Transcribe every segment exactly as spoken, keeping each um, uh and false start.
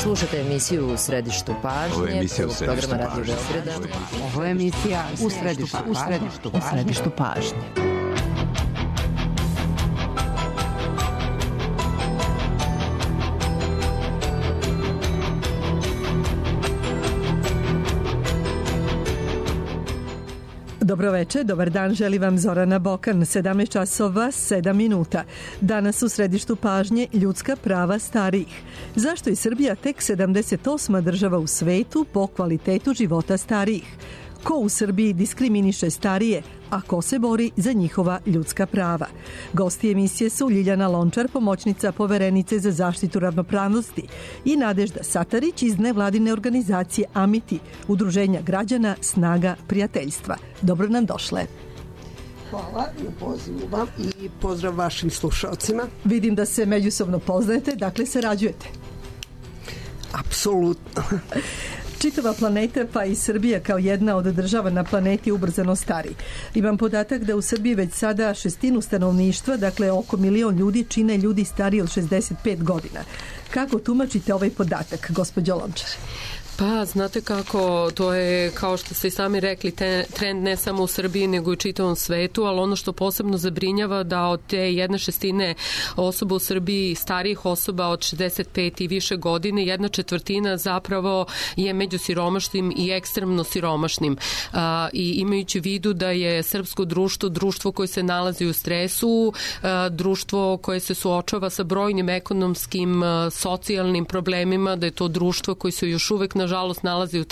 Slušate emisiju U središtu pažnje. Ovo je emisija U središtu programa Radio pažnje. Beograda. Ovo je emisija U središtu pažnje. U središtu, u središtu pažnje. Dobro večer, dobar dan, želi vam Zorana Bokan, sedamnaest časova sedam minuta. Danas u središtu pažnje ljudska prava starijih. Zašto je Srbija tek sedamdeset osma država u svetu po kvalitetu života starijih? Ko u Srbiji diskriminiše starije, a ko se bori za njihova ljudska prava? Gosti emisije su Ljiljana Lončar, pomoćnica poverenice za zaštitu ravnopravnosti, i Nadežda Satarić iz nevladine organizacije Amiti, Udruženja građana Snaga prijateljstva. Dobro nam došle. Hvala na pozivu vam i pozdrav vašim slušalcima. Vidim da se međusobno poznajete, dakle sarađujete. Apsolutno. Čitava planeta, pa i Srbija kao jedna od država na planeti ubrzano stari. Imam podatak da u Srbiji već sada šestinu stanovništva, dakle oko milion ljudi, čine ljudi stariji od šezdeset pet godina. Kako tumačite ovaj podatak, gospođo Lončar? Pa, znate kako, to je, kao što ste i sami rekli, te, trend ne samo u Srbiji, nego i u čitavom svetu, ali ono što posebno zabrinjava da od te jedne šestine osoba u Srbiji, starijih osoba od šezdeset pet i više godine, jedna četvrtina zapravo je među siromašnim i ekstremno siromašnim. A, i imajući u vidu da je srpsko društvo, društvo koje se nalazi u stresu, a, društvo koje se suočava sa brojnim ekonomskim, a, socijalnim problemima, da je to društvo koje se još uvek nažalost nalazi u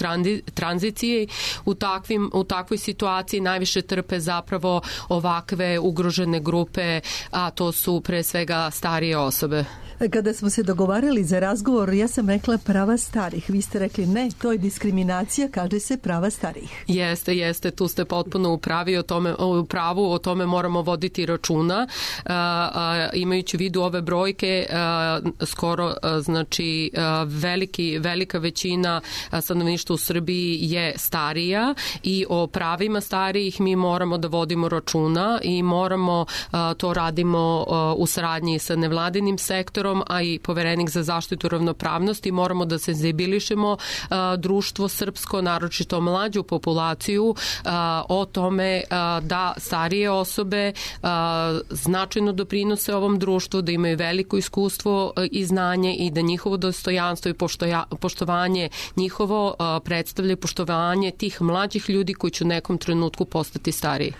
tranziciji, u, takvim, u takvoj situaciji najviše trpe zapravo ovakve ugrožene grupe, a to su pre svega starije osobe. Kada smo se dogovarali za razgovor, ja sam rekla prava starih. Vi ste rekli ne, to je diskriminacija, kaže se prava starih. Jeste, jeste, tu ste potpuno u pravi o tome, u pravu, o tome moramo voditi računa. A, a, imajući u vidu ove brojke, a, skoro, a, znači, a, veliki, velika većina stanovništva u Srbiji je starija i o pravima starijih mi moramo da vodimo računa i moramo, a, to radimo a, u saradnji sa nevladinim sektorom, a i poverenik za zaštitu ravnopravnosti. Moramo da senzibilišemo a, društvo srpsko, naročito mlađu populaciju, a, o tome a, da starije osobe a, značajno doprinose ovom društvu, da imaju veliko iskustvo a, i znanje i da njihovo dostojanstvo i poštoja, poštovanje njihovo a, predstavlja poštovanje tih mlađih ljudi koji će u nekom trenutku postati stariji.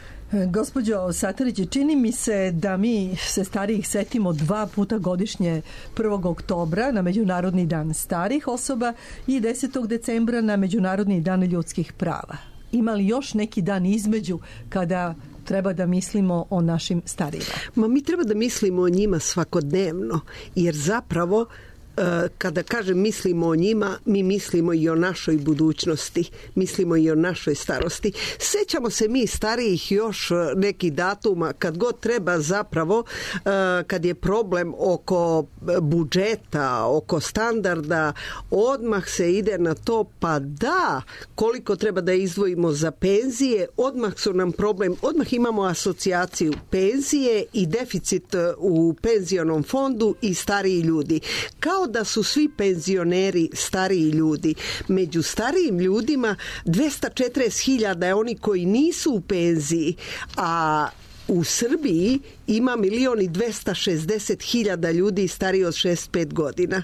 Gospođo Satarić, čini mi se da mi se starijih setimo dva puta godišnje, prvog oktobra na Međunarodni dan starih osoba i desetog decembra na Međunarodni dan ljudskih prava. Ima li još neki dan između kada treba da mislimo o našim starijima? Ma mi treba da mislimo o njima svakodnevno, jer zapravo kada kažem mislimo o njima, mi mislimo i o našoj budućnosti, mislimo i o našoj starosti. Sećamo se mi starijih još nekih datuma, kad god treba zapravo, kad je problem oko budžeta, oko standarda, odmah se ide na to, pa da, koliko treba da izdvojimo za penzije, odmah su nam problem, odmah imamo asocijaciju penzije i deficit u penzionom fondu i stariji ljudi. Kao da su svi penzioneri stariji ljudi. Među starijim ljudima dvesta četrdeset hiljada je oni koji nisu u penziji, a u Srbiji ima milion i dvesta šezdeset hiljada ljudi stariji od šezdeset pet godina.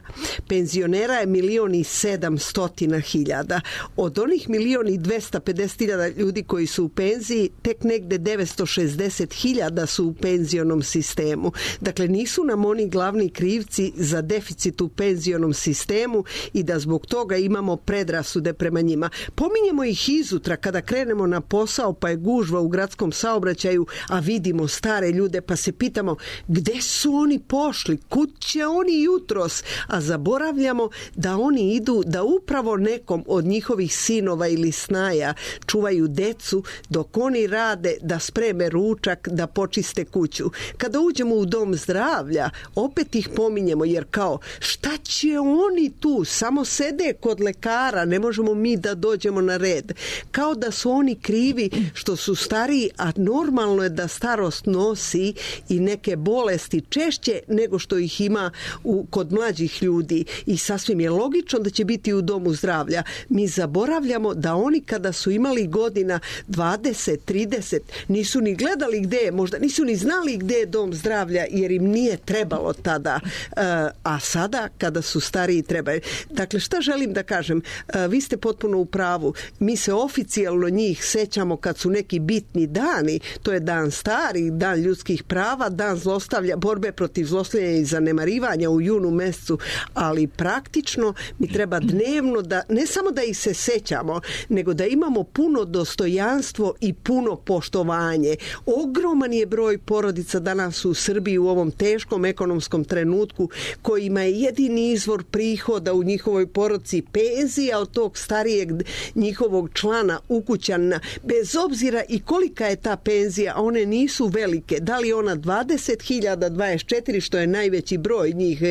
Penzionera je milion i sedamstotina hiljada. Od onih milion i dvesta pedeset hiljada ljudi koji su u penziji, tek negde devetsto šezdeset hiljada su u penzionom sistemu. Dakle, nisu nam oni glavni krivci za deficit u penzionom sistemu i da zbog toga imamo predrasude prema njima. Pominjemo ih izutra kada krenemo na posao, pa je gužva u gradskom saobraćaju, a vidimo stare ljude, pa se pitamo gde su oni pošli, kud će oni jutros, a zaboravljamo da oni idu da upravo nekom od njihovih sinova ili snaja čuvaju decu dok oni rade da spreme ručak, da počiste kuću. Kada uđemo u dom zdravlja, opet ih pominjemo, jer kao šta će oni tu, samo sede kod lekara, ne možemo mi da dođemo na red. Kao da su oni krivi što su stariji, a normalno je da starost nosi i neke bolesti češće nego što ih ima u, kod mlađih ljudi i sasvim je logično da će biti u domu zdravlja. Mi zaboravljamo da oni kada su imali godina dvadeset, trideset nisu ni gledali gde je, možda nisu ni znali gde je dom zdravlja jer im nije trebalo tada, a sada kada su stariji trebaju. Dakle, šta želim da kažem? Vi ste potpuno u pravu. Mi se oficijalno njih sećamo kad su neki bitni dani. To je dan starih, dan ljudskih prava, dan zlostavlja, borbe protiv zlostavljanja i zanemarivanja u junu mesecu, ali praktično mi treba dnevno da, ne samo da ih se sećamo, nego da imamo puno dostojanstvo i puno poštovanje. Ogroman je broj porodica danas u Srbiji u ovom teškom ekonomskom trenutku kojima je jedini izvor prihoda u njihovoj porodici penzija od tog starijeg njihovog člana ukućana, bez obzira i kolika je ta penzija, a one nisu velike. Da li ona dvadeset hiljada, dvadeset četiri, što je najveći broj njih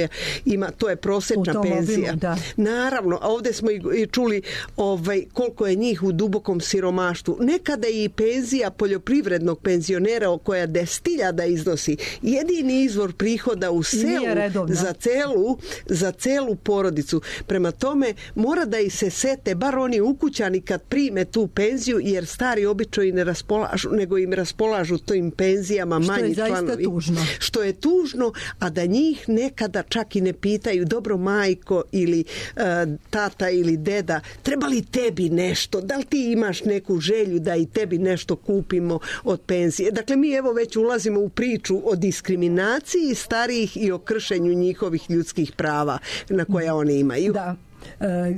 ima, to je prosečna penzija. Obimu, naravno, a ovdje smo i čuli ovaj, koliko je njih u dubokom siromaštvu. Nekada i penzija poljoprivrednog penzionera koja deset hiljada iznosi jedini izvor prihoda u selu za celu, za celu porodicu. Prema tome, mora da i se sete, bar oni ukućani kad prime tu penziju, jer stari obično i ne raspolažu, nego im raspolažu tim penzijama manji članovi. Što je zaista tužno. Što je tužno, a da njih nekada čak i ne pitaju, dobro majko ili uh, tata ili deda, treba li tebi nešto? Da li ti imaš neku želju da i tebi nešto kupimo od penzije? Dakle, mi evo već ulazimo u priču o diskriminaciji starijih i o kršenju njihovih ljudskih prava na koja oni imaju. Da. E,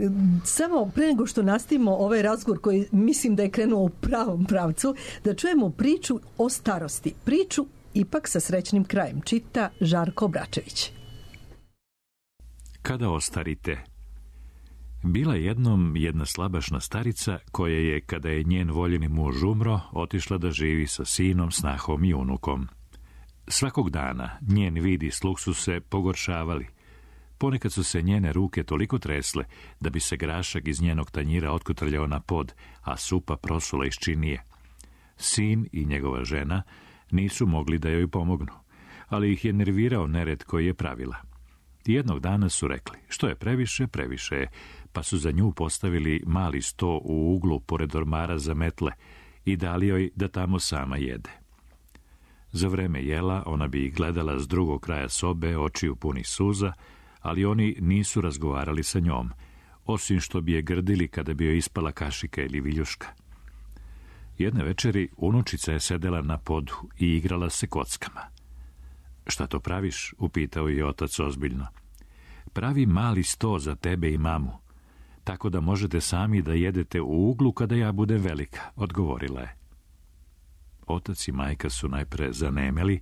samo pre nego što nastavimo ovaj razgovor koji mislim da je krenuo u pravom pravcu, da čujemo priču o starosti. Priču ipak sa srećnim krajem. Čita Žarko Obračević. Kada ostarite? Bila jednom jedna slabašna starica koja je, kada je njen voljeni muž umro, otišla da živi sa sinom, snahom i unukom. Svakog dana njen vid i sluh su se pogoršavali. Ponekad su se njene ruke toliko tresle da bi se grašak iz njenog tanjira otkotrljao na pod, a supa prosula iz činije. Sin i njegova žena nisu mogli da joj pomognu, ali ih je nervirao nered koji je pravila. Jednog dana su rekli, što je previše, previše je, pa su za nju postavili mali sto u uglu pored ormara za metle i dali joj da tamo sama jede. Za vreme jela ona bi ih gledala s drugog kraja sobe, očiju punih suza, ali oni nisu razgovarali sa njom, osim što bi je grdili kada bi joj ispala kašika ili viljuška. Jedne večeri unučica je sedela na podu i igrala se kockama. Šta to praviš? Upitao je otac ozbiljno. Pravi mali sto za tebe i mamu, tako da možete sami da jedete u uglu kada ja budem velika, odgovorila je. Otac i majka su najpre zanemeli,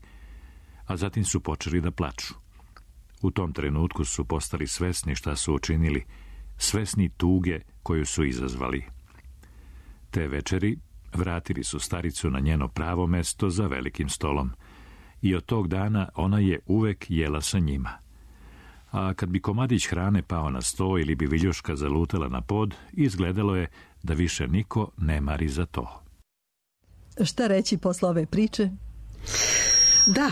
a zatim su počeli da plaču. U tom trenutku su postali svesni šta su učinili, svesni tuge koju su izazvali. Te večeri vratili su staricu na njeno pravo mesto za velikim stolom i od tog dana ona je uvek jela sa njima. A kad bi komadić hrane pao na sto ili bi viljuška zalutala na pod, izgledalo je da više niko ne mari za to. Šta reći posle ove priče? Da,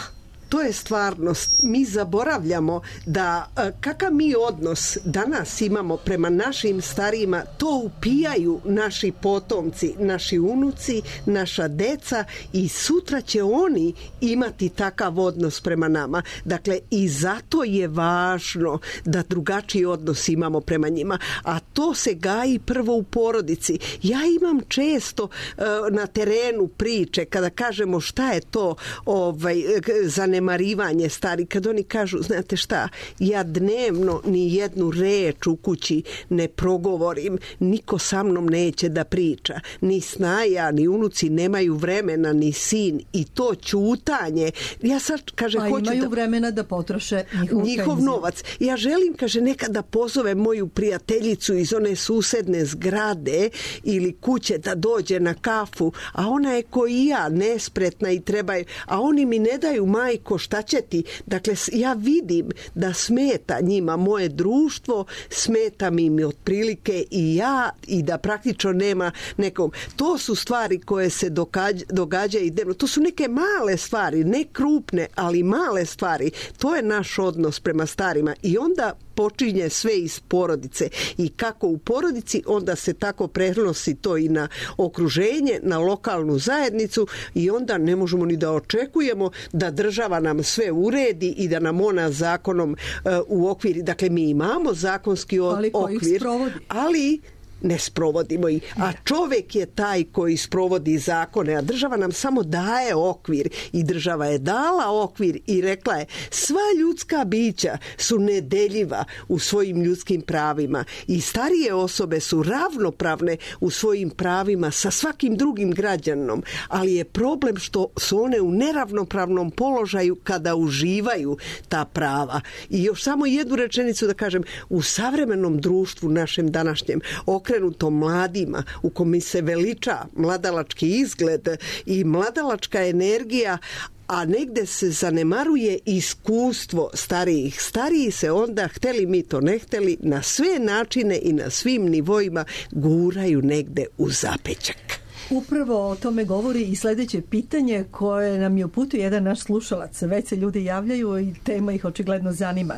to je stvarnost. Mi zaboravljamo da kakav mi odnos danas imamo prema našim starijima, to upijaju naši potomci, naši unuci, naša deca i sutra će oni imati takav odnos prema nama. Dakle, i zato je važno da drugačiji odnos imamo prema njima, a to se gaji prvo u porodici. Ja imam često uh, na terenu priče kada kažemo šta je to ovaj, zanemarivanje stari, kad oni kažu, znate šta, ja dnevno ni jednu reč u kući ne progovorim, niko sa mnom neće da priča, ni snaja, ni unuci nemaju vremena, ni sin, i to ćutanje. Ja sad, kaže, a hoću imaju da... vremena da potroše njihov, njihov novac. Ja želim, kaže, nekad da pozovem moju prijateljicu iz one susedne zgrade ili kuće da dođe na kafu, a ona je ko i ja, nespretna i treba, a oni mi ne daju, majko, majko, šta će ti? Dakle, ja vidim da smeta njima moje društvo, smeta mi mi otprilike i ja, i da praktično nema nekog. To su stvari koje se događa, događaju dnevno. To su neke male stvari, ne krupne, ali male stvari. To je naš odnos prema starima i onda počinje sve iz porodice i kako u porodici, onda se tako prenosi to i na okruženje, na lokalnu zajednicu i onda ne možemo ni da očekujemo da država nam sve uredi i da nam ona zakonom uh, u okviri, dakle mi imamo zakonski ali okvir, ali ne sprovodimo ih. A čovjek je taj koji sprovodi zakone, a država nam samo daje okvir i država je dala okvir i rekla je sva ljudska bića su nedeljiva u svojim ljudskim pravima i starije osobe su ravnopravne u svojim pravima sa svakim drugim građanom, ali je problem što su one u neravnopravnom položaju kada uživaju ta prava. I još samo jednu rečenicu da kažem, u savremenom društvu našem današnjem okrenutom mladima, u kome se veliča mladalački izgled i mladalačka energija, a negde se zanemaruje iskustvo starijih. Stariji se onda, hteli mi to ne hteli, na sve načine i na svim nivoima guraju negde u zapećak. Upravo o tome govori i sljedeće pitanje koje nam je uputio jedan naš slušalac. Već se ljudi javljaju i tema ih očigledno zanima.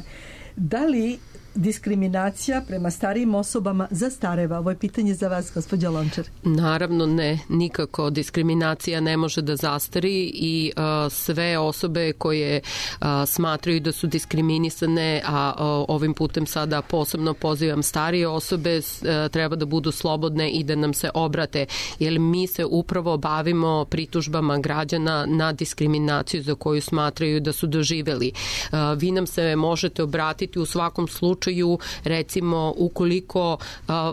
Da li diskriminacija prema starijim osobama zastareva? Ovo je pitanje za vas, gospođa Lončar. Naravno ne, nikako. Diskriminacija ne može da zastari i uh, sve osobe koje uh, smatraju da su diskriminisane, a uh, ovim putem sada posebno pozivam starije osobe, uh, treba da budu slobodne i da nam se obrate, jer mi se upravo bavimo pritužbama građana na diskriminaciju za koju smatraju da su doživeli. Uh, vi nam se možete obratiti u svakom slučaju, recimo ukoliko uh,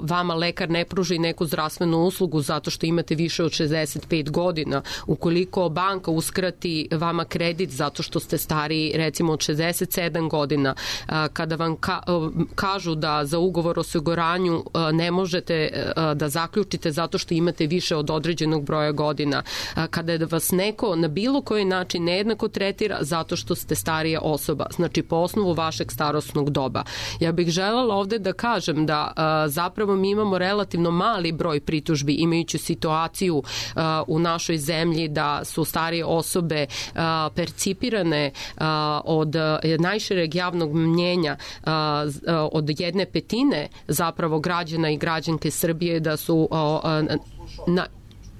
vama lekar ne pruži neku zdravstvenu uslugu zato što imate više od šezdeset pet godina, ukoliko banka uskrati vama kredit zato što ste stariji recimo od šezdeset sedam godina, uh, kada vam ka, uh, kažu da za ugovor o osiguranju uh, ne možete uh, da zaključite zato što imate više od određenog broja godina, uh, kada vas neko na bilo koji način nejednako tretira zato što ste starija osoba, znači po osnovu vašeg starosnog doba. Ja bih želela ovdje da kažem da a, zapravo mi imamo relativno mali broj pritužbi imajući situaciju a, u našoj zemlji da su starije osobe a, percipirane a, od a, najšireg javnog mnjenja a, a, od jedne petine zapravo građana i građanke Srbije da su a, a, na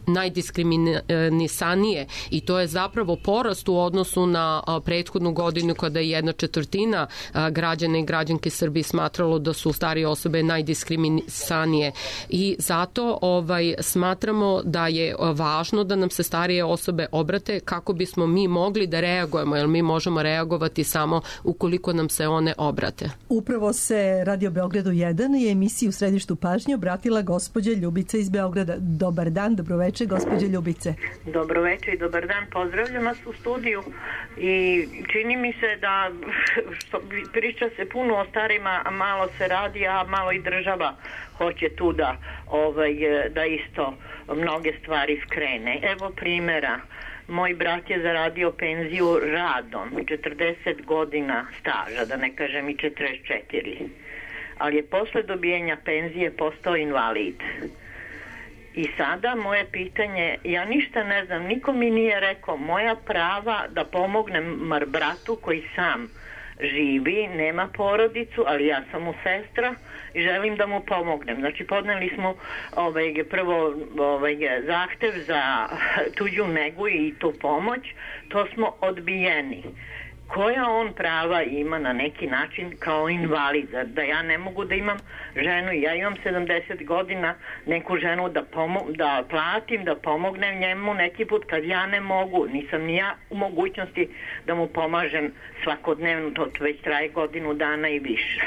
najdiskriminisanije i to je zapravo porast u odnosu na a, prethodnu godinu kada je jedna četvrtina a, građana i građanke Srbije smatralo da su starije osobe najdiskriminisanije i zato ovaj, smatramo da je važno da nam se starije osobe obrate kako bismo mi mogli da reagujemo, jer mi možemo reagovati samo ukoliko nam se one obrate. Upravo se Radio Beogradu jedan i emisiji U središtu pažnje obratila gospođa Ljubica iz Beograda. Dobar dan, dobroveče. Gospođe Ljubice. Dobro večer i dobar dan, pozdravljam vas u studiju i čini mi se da što, priča se puno o starima, a malo se radi, a malo i država hoće tu da, ovaj, da isto mnoge stvari skrene. Evo primjera. Moj brat je zaradio penziju radom, četrdeset godina staža, da ne kažem i četrdeset četiri, ali je posle dobijenja penzije postao invalid. I sada moje pitanje, ja ništa ne znam, niko mi nije rekao moja prava da pomognem mar bratu koji sam živi, nema porodicu, ali ja sam mu sestra i želim da mu pomognem. Znači podneli smo ovaj, prvo ovaj, zahtev za tuđu negu i tu pomoć, to smo odbijeni. Koja on prava ima na neki način kao invalid, da ja ne mogu da imam ženu, ja imam sedamdeset godina, neku ženu da, pomo- da platim, da pomognem njemu neki put kad ja ne mogu, nisam ni ja u mogućnosti da mu pomažem svakodnevno, to već traje godinu dana i više.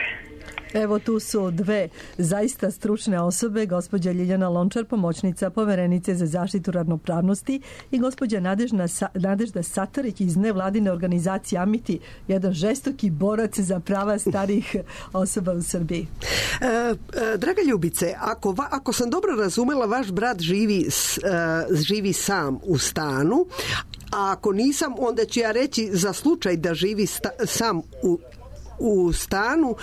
Evo tu su dve zaista stručne osobe, gospođa Ljiljana Lončar, pomoćnica poverenice za zaštitu ravnopravnosti i gospođa Nadežna, Nadežda Satarić iz nevladine organizacije Amiti, jedan žestoki borac za prava starijih osoba u Srbiji. E, e, draga Ljubice, ako, va, ako sam dobro razumela, vaš brat živi, s, e, živi sam u stanu, a ako nisam, onda ću ja reći za slučaj da živi sta, sam u u stanu, uh,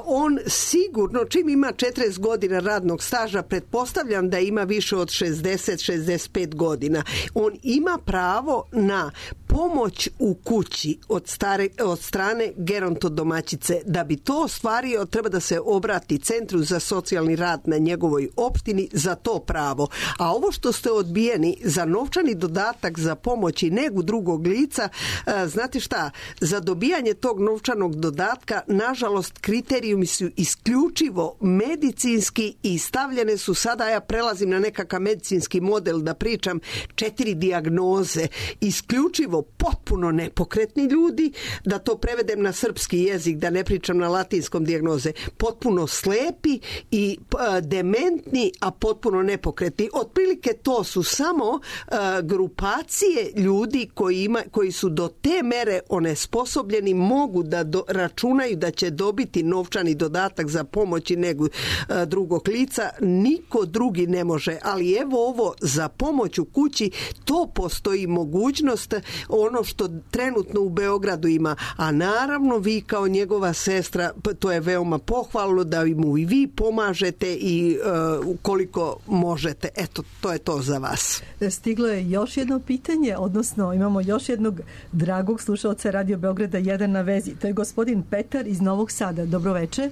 on sigurno čim ima četrdeset godina radnog staža, pretpostavljam da ima više od šezdeset šezdeset pet godina, on ima pravo na pomoć u kući od, stare, od strane gerontodomaćice. Da bi to ostvario, treba da se obrati Centru za socijalni rad na njegovoj opštini za to pravo. A ovo što ste odbijeni za novčani dodatak za pomoć i negu drugog lica, uh, znate šta, za dobijanje tog novčanog dodatka dodatka, nažalost, kriterijumi su isključivo medicinski i stavljene su, sada ja prelazim na nekakav medicinski model da pričam, četiri dijagnoze, isključivo potpuno nepokretni ljudi, da to prevedem na srpski jezik, da ne pričam na latinskom dijagnoze, potpuno slepi i a, dementni, a potpuno nepokretni. Otprilike to su samo a, grupacije ljudi koji, ima, koji su do te mere onesposobljeni, mogu da do, računaju da će dobiti novčani dodatak za pomoć i negu a, drugog lica. Niko drugi ne može, ali evo ovo za pomoć u kući, to postoji mogućnost, ono što trenutno u Beogradu ima, a naravno vi kao njegova sestra, to je veoma pohvalno da mu i vi pomažete i uh, koliko možete. Eto, to je to za vas. Stiglo je još jedno pitanje, odnosno imamo još jednog dragog slušalca Radio Beograda jedan na vezi. To je gospodin Petar iz Novog Sada. Dobro večer.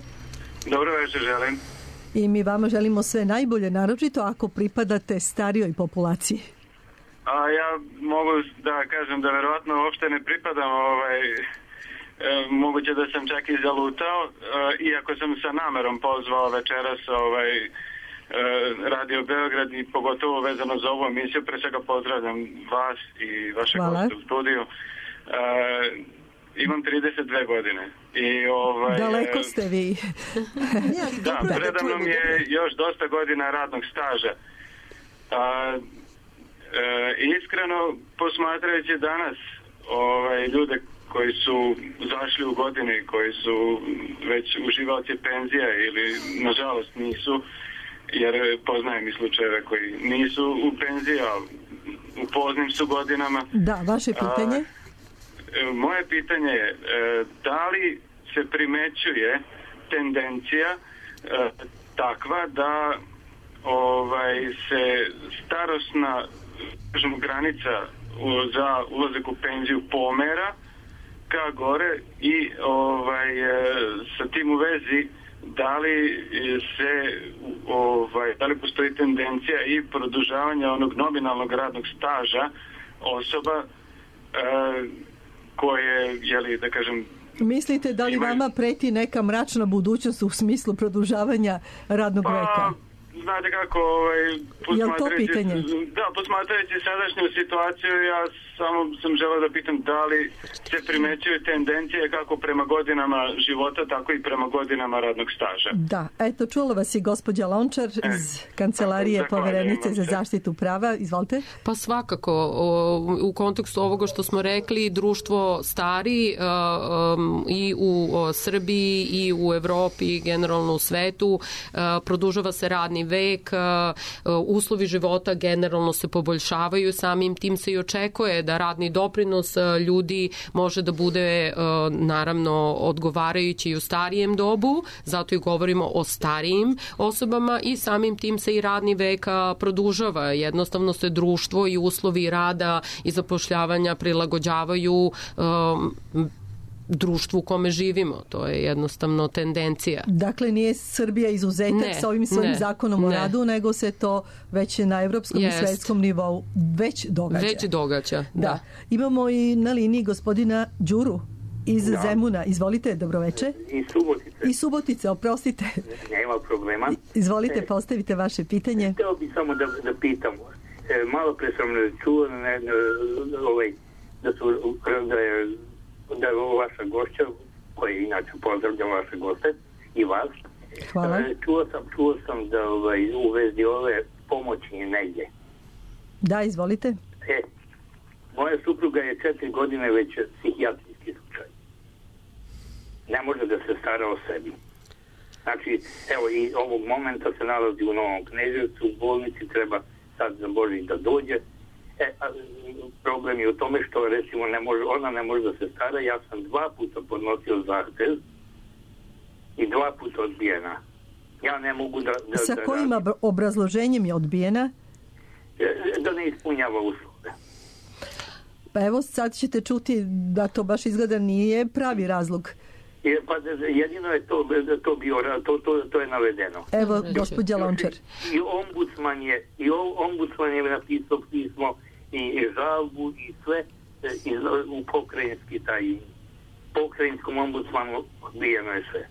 Dobro večer, želim. I mi vama želimo sve najbolje, naročito ako pripadate starijoj populaciji. A ja mogu da kažem da verovatno uopšte ne pripadam, ovaj, e, moguće da sam čak i zalutao, e, iako sam sa namerom pozvao večeras ovaj, e, Radio Beograd i pogotovo vezano za ovu emisiju. Pre svega pozdravljam vas i vaše goste u studiju. E, imam trideset dve godine. I, ovaj, daleko ste vi. Da, predavno mi je još dosta godina radnog staža. A, E, iskreno posmatrajući danas ovaj, ljude koji su zašli u godine, koji su već uživaoci penzija ili nažalost nisu, jer poznajem i slučajeve koji nisu u penziji, a u poznim su godinama. Da, vaše pitanje? A, moje pitanje je, da li se primećuje tendencija e, takva da ovaj, se starosna granica za ulazak u penziju pomera ka gore i ovaj, sa tim u vezi da li se ovaj, da li postoji tendencija i produžavanja onog nominalnog radnog staža osoba eh, koje, jeli, da kažem, mislite da li imaju... vama preti neka mračna budućnost u smislu produžavanja radnog pa... veka? Znate kako, ovaj, posmatrajući, da, posmatrajući sadašnju situaciju, ja samo sam želeo da pitam da li se primećuju tendencije kako prema godinama života, tako i prema godinama radnog staža. Da, eto, čula vas i gospođa Lončar e, iz Kancelarije poverenice za zaštitu prava. Izvolite. Pa svakako, u kontekstu ovoga što smo rekli, društvo stari um, i u Srbiji i u Evropi i generalno u svetu, produžava se radni vek, uslovi života generalno se poboljšavaju, samim tim se i očekuje da radni doprinos ljudi može da bude naravno odgovarajući i u starijem dobu, zato i govorimo o starijim osobama i samim tim se i radni vek produžava. Jednostavno se društvo i uslovi rada i zapošljavanja prilagođavaju um, društvu u kome živimo. To je jednostavno tendencija. Dakle, nije Srbija izuzetak ne, sa ovim svojim ne, zakonom o ne. radu, nego se to već na evropskom Jest. i svetskom nivou već događa. Već događa, da. da. Imamo i na liniji gospodina Đuru iz da. Zemuna. Izvolite, dobroveče. I Subotice. I Subotice, oprostite. Nema problema. Izvolite, e, postavite vaše pitanje. Hteo bih samo da, da pitam. E, malo pre sam čuo ne, ne, ovaj, da su da je da je vaša gošća, koji inače pozdravljam vaše goste i vas. Hvala. Čuo sam, čuo sam da ovaj, u vezi ove pomoćnje negdje. Da, izvolite. E, moja supruga je četiri godine već psihijatrijski slučaj. Ne može da se stara o sebi. Znači, evo i ovog momenta se nalazi u Novom Kneževcu, u bolnici, treba sad za Božić da dođe. E, a, problem je u tome što recimo ne može, ona ne može da se stara. Ja sam dva puta podnosio zahtev i dva puta odbijena. Ja ne mogu da... da Sa da kojim radim. obrazloženjem je odbijena? Da ne ispunjava uslove. Pa evo sad ćete čuti da to baš izgleda nije pravi razlog. Je, pa jedino je to, to bio, to, to, to je navedeno. Evo, gospođa Lončar. I ombudsman je, i ombudsman je napisao pismo i, i žalbu i sve i, u pokrajinski taj pokrajinskom ombudsmanu odbijeno je sve.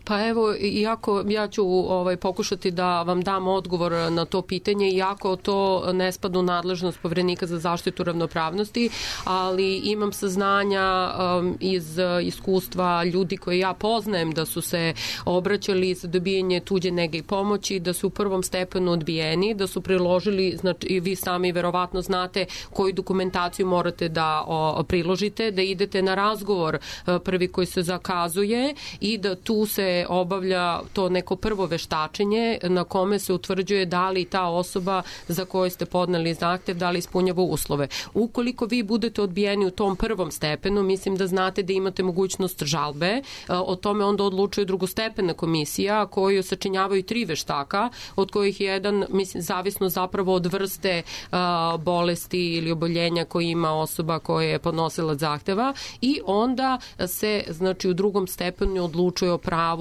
Pa evo, iako ja ću ovaj, pokušati da vam dam odgovor na to pitanje, iako to ne spada u nadležnost Poverenika za zaštitu ravnopravnosti, ali imam saznanja um, iz iskustva ljudi koje ja poznajem da su se obraćali za dobijanje tuđe nege i pomoći, da su u prvom stepenu odbijeni, da su priložili, znači i vi sami verovatno znate koju dokumentaciju morate da o, priložite, da idete na razgovor prvi koji se zakazuje i da tu se obavlja to neko prvo veštačenje na kome se utvrđuje da li ta osoba za koju ste podneli zahtev, da li ispunjava uslove. Ukoliko vi budete odbijeni u tom prvom stepenu, mislim da znate da imate mogućnost žalbe, o tome onda odlučuje drugostepena komisija koju sačinjavaju tri veštaka, od kojih jedan, mislim, zavisno zapravo od vrste a, bolesti ili oboljenja koje ima osoba koja je podnosila zahteva i onda se, znači, u drugom stepenu odlučuje o pravu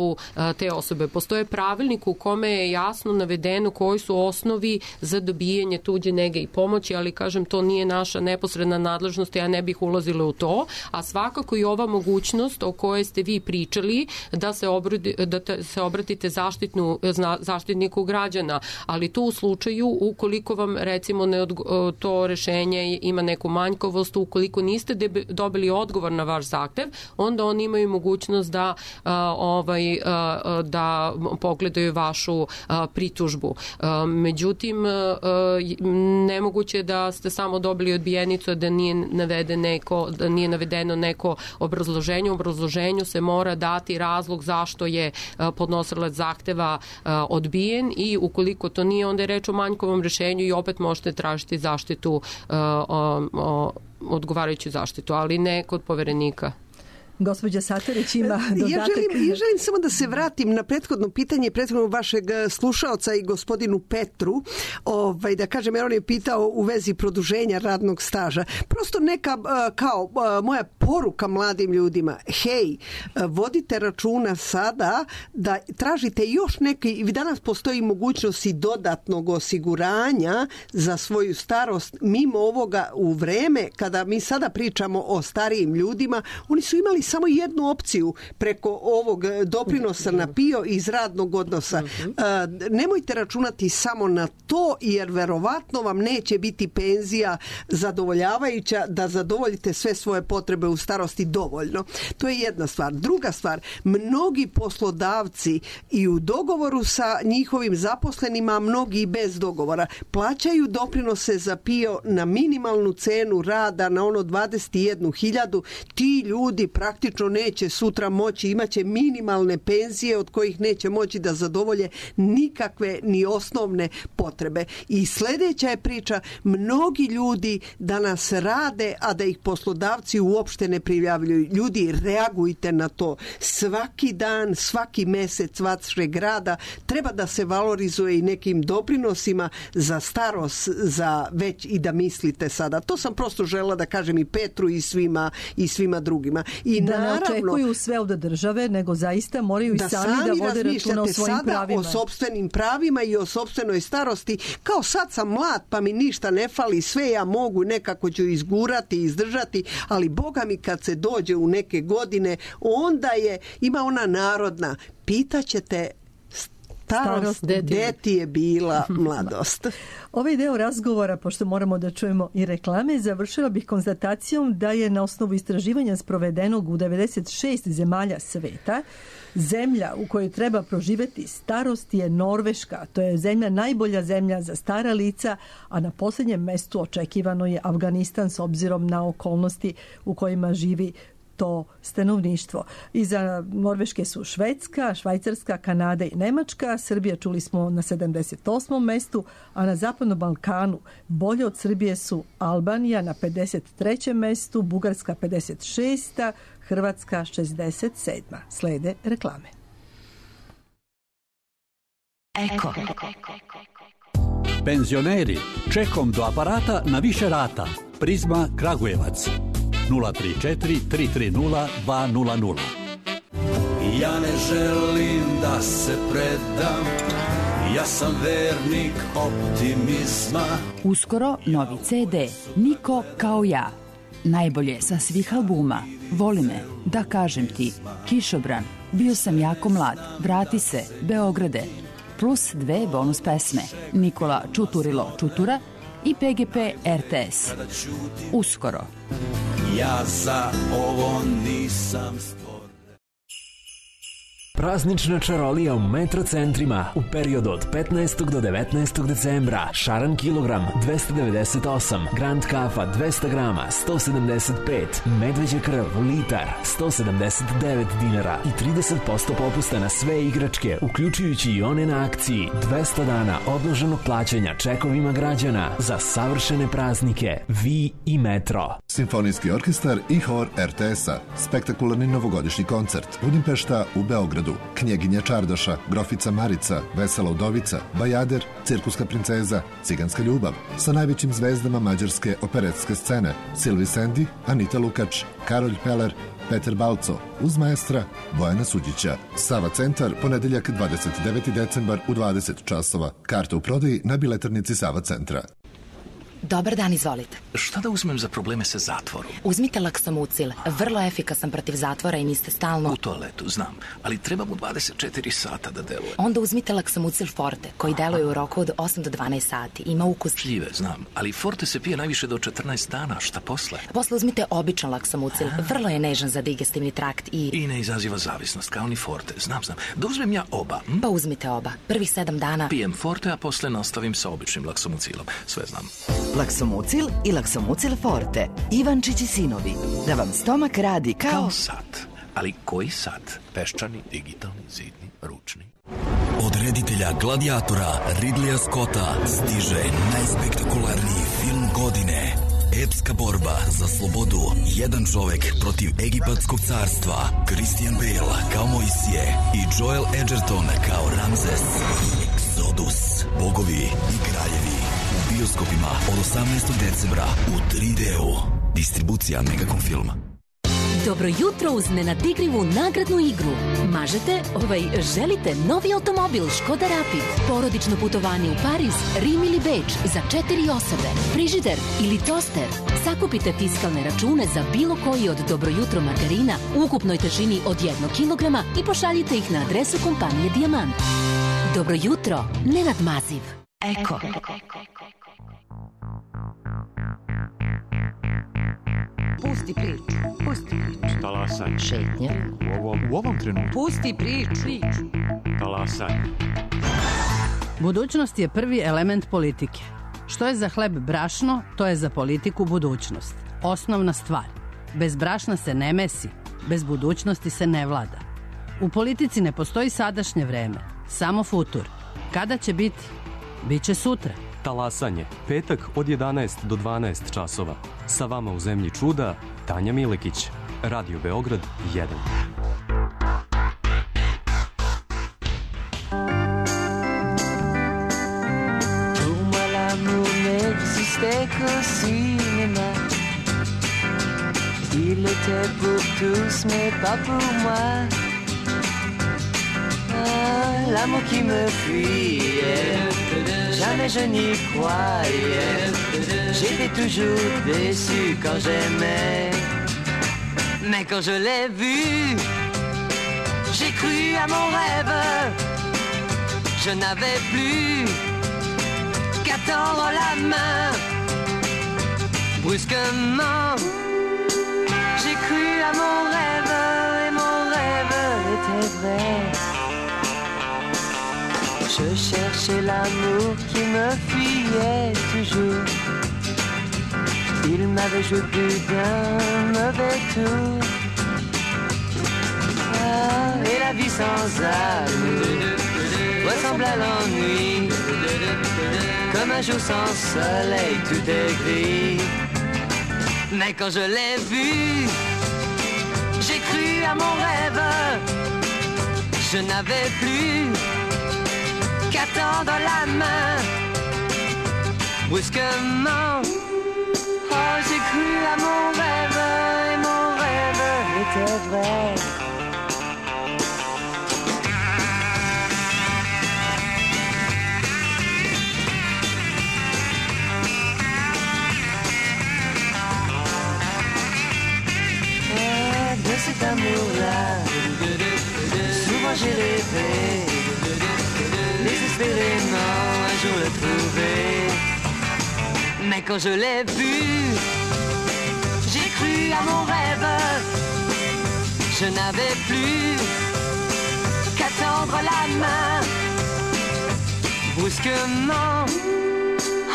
te osobe. Postoje pravilnik u kome je jasno navedeno koji su osnovi za dobijanje tuđe nege i pomoći, ali kažem, to nije naša neposredna nadležnost, ja ne bih ulazila u to, a svakako i ova mogućnost o kojoj ste vi pričali da se, obrudi, da se obratite zaštitnu, zaštitniku građana, ali to u slučaju ukoliko vam recimo ne odgo, to rešenje ima neku manjkavost, ukoliko niste debe, dobili odgovor na vaš zahtev, onda oni imaju mogućnost da a, ovaj da pogledaju vašu pritužbu. Međutim, nemoguće da ste samo dobili odbijenicu, da nije navedeno neko, da nije navedeno neko obrazloženje. U obrazloženju se mora dati razlog zašto je podnosilac zahteva odbijen i ukoliko to nije, onda je reč o manjkovom rešenju i opet možete tražiti zaštitu, odgovarajuću zaštitu, ali ne kod Poverenika. Gospođa Satarić ima dodatak. Ja želim, ja želim samo da se vratim na prethodno pitanje prethodnog vašeg slušaoca i gospodinu Petru, ovaj, da kažem, jer on je pitao u vezi produženja radnog staža. Prosto neka kao moja poruka mladim ljudima, hej, vodite računa sada da tražite još neki, danas postoji mogućnost i dodatnog osiguranja za svoju starost mimo ovoga u vreme kada mi sada pričamo o starijim ljudima, oni su imali samo jednu opciju preko ovog doprinosa na PIO iz radnog odnosa. Nemojte računati samo na to, jer verovatno vam neće biti penzija zadovoljavajuća da zadovoljite sve svoje potrebe u starosti dovoljno. To je jedna stvar. Druga stvar, mnogi poslodavci i u dogovoru sa njihovim zaposlenima, mnogi i bez dogovora, plaćaju doprinose za PIO na minimalnu cenu rada, na ono dvadeset jednu hiljadu. Ti ljudi praktično neće sutra moći, imaće minimalne penzije od kojih neće moći da zadovolje nikakve ni osnovne potrebe. I sljedeća je priča, mnogi ljudi danas rade, a da ih poslodavci uopšte ne prijavljuju. Ljudi, reagujte na to. Svaki dan, svaki mesec vašeg rada treba da se valorizuje i nekim doprinosima za starost, za već i da mislite sada. To sam prosto žela da kažem i Petru i svima i svima drugima. I da naravno, ne očekuju sve od države, nego zaista moraju i sami, sami da vode računa o svojim pravima. O sopstvenim pravima i o sopstvenoj starosti. Kao sad sam mlad, pa mi ništa ne fali, sve ja mogu, nekako ću izgurati, izdržati, ali Boga mi kad se dođe u neke godine, onda je, ima ona narodna, pitaćete starost, gde ti je bila mladost. Ovaj deo razgovora, pošto moramo da čujemo i reklame, završila bih konstatacijom da je na osnovu istraživanja sprovedenog u devedeset šest zemalja sveta, zemlja u kojoj treba proživeti starost je Norveška. To je zemlja, najbolja zemlja za stara lica, a na posljednjem mestu očekivano je Afganistan s obzirom na okolnosti u kojima živi to stanovništvo. Iza Norveške su Švedska, Švajcarska, Kanada i Nemačka. Srbija, čuli smo, na sedamdeset osmom mestu, a na Zapadnom Balkanu bolje od Srbije su Albanija na pedeset trećem mestu, Bugarska pedeset šesta, Hrvatska šezdeset sedma. Slede reklame. Eko. Penzioneri, čekom do aparata na više rata. Prizma Kragujevac. nula tri četiri tri tri nula dva nula nula. Ja ne želim da se predam, ja sam vernik optimizma. Uskoro novi ce de, Niko kao ja. Najbolje sa svih albuma. Voli me, da kažem ti, Kišobran, bio sam jako mlad, vrati se, Beograde. Plus dve bonus pesme, Nikola Čuturilo Čutura i pe ge pe er te es. Uskoro. Ja za ovo nisam stvoren. Praznična čarolija u Metrocentrima u periodu od petnaestog do devetnaestog decembra. Šaran kilogram dvesta devedeset osam, Grand kafa dvesta grama sto sedamdeset pet, medveđa krv litar sto sedamdeset devet dinara i trideset posto popusta na sve igračke, uključujući i one na akciji. dvesta dana odloženog plaćanja čekovima građana za savršene praznike. Vi i Metro. Simfonijski orkestar i hor er te es-a. Spektakularni novogodišnji koncert. Budimpešta u Beogradu. Knjeginja Čardaša, Grofica Marica, Vesela udovica, Bajader, Cirkuska princeza, Ciganska ljubav. Sa najvećim zvezdama mađarske operetske scene. Silvi Sendi, Anita Lukač, Karolj Peler, Peter Balco, uz maestra Bojana Suđića. Sava centar, ponedeljak dvadeset deveti decembar u dvadeset časova. Karta u prodaji na biletarnici Sava centra. Dobar dan, izvolite. Šta da uzmem za probleme sa zatvorom? Uzmite Laksomucil, vrlo efikasan protiv zatvora i niste stalno... U toaletu, znam, ali treba mu dvadeset četiri sata da deluje. Onda uzmite Laksomucil Forte, koji deluje u roku od osam do dvanaest sati. Ima ukus... Šljive, znam, ali Forte se pije najviše do četrnaest dana, šta posle? Posle uzmite običan Laksomucil, vrlo je nežan za digestivni trakt i... I ne izaziva zavisnost, kao ni Forte, znam, znam. Da uzmem ja oba? Hm? Pa uzmite oba, prvih sedam dana... Pijem Forte, a posle nastavim sa običnim Laksomucilom, sve znam. Laksomucil i Laksomucil Forte. Ivančić i sinovi. Da vam stomak radi kao... Kao sat. Ali koji sat? Peščani, digitalni, zidni, ručni. Od reditelja Gladiatora Ridleya Scotta stiže najspektakularniji film godine. Epska borba za slobodu. Jedan čovek protiv egipatskog carstva. Christian Bale kao Mojsije i Joel Edgerton kao Ramzes. Exodus. Bogovi i kraljevi. U bioskopima od osamnaestog decembra u tri deu. Distribucija Megacom filma. Dobro jutro uz nenadigrivu nagradnu igru. Mažete, ovaj, želite novi automobil Škoda Rapid, porodično putovanje u Pariz, Rim ili Beč za četiri osobe, frižider ili toster. Sakupite fiskalne račune za bilo koji od Dobro jutro margarina u ukupnoj težini od jednog kilograma i pošaljite ih na adresu kompanije Dijamant. Dobro jutro, Nenad Maziv. Eko. Pusti priču, pusti priču. Talasanje. Šetnje. U ovom, u ovom trenutku. Pusti priču. Talasanje. Budućnost je prvi element politike. Što je za hleb brašno, to je za politiku budućnost. Osnovna stvar. Bez brašna se ne mesi, bez budućnosti se ne vlada. U politici ne postoji sadašnje vreme, samo futur. Kada će biti? Biće sutra. Talasanje, petak od jedanaest do dvanaest časova. Sa vama u zemlji čuda, Tanja Milekić. Radio Beograd jedan. Pour moi l'amour n'existait qu'au cinéma. Il était pour tous mais pas pour moi. Ah, l'amour qui me fuyait, jamais je n'y croyais. J'étais toujours déçu quand j'aimais. Mais quand je l'ai vu, j'ai cru à mon rêve. Je n'avais plus qu'à tendre la main. Brusquement, j'ai cru à mon rêve et mon rêve était vrai. Je cherchais l'amour qui me fuyait toujours. Il m'avait joué plus d'un mauvais tour. sans âme ressemble à l'ennui, comme un jour sans soleil, tout est gris. Mais quand je l'ai vu, j'ai cru à mon rêve. Je n'avais plus qu'à tendre la main. Brusquement, oh, j'ai cru à mon rêve, et mon rêve était vrai. Ah, de cet amour-là, souvent j'ai rêvé, désespérément un jour le trouver. Mais quand je l'ai vu, j'ai cru à mon rêve. Je n'avais plus qu'à tendre la main. Brusquement,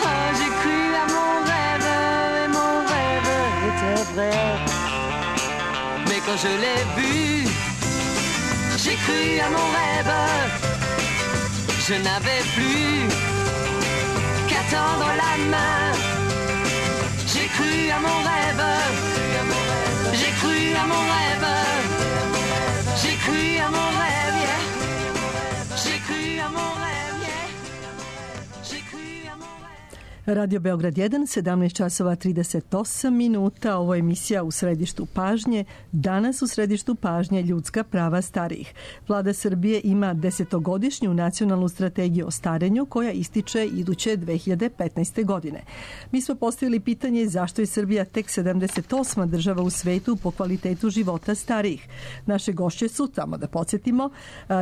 oh, j'ai cru à mon rêve, et mon rêve était vrai. Mais quand je l'ai vu, j'ai cru à mon rêve. Je n'avais plus qu'à tendre la main. J'ai cru à mon rêve. J'ai cru à mon rêve. J'ai cru à mon rêve, yeah. J'ai cru à mon rêve, yeah. J'ai cru à mon rêve. Radio Beograd jedan, sedamnaest časova trideset osam minuta. Ovo je emisija U središtu pažnje. Danas u središtu pažnje ljudska prava starijih. Vlada Srbije ima desetogodišnju nacionalnu strategiju o starenju koja ističe iduće dve hiljade petnaeste. godine. Mi smo postavili pitanje zašto je Srbija tek sedamdeset osma država u svetu po kvalitetu života starijih. Naše gošće su, tamo da podsjetimo,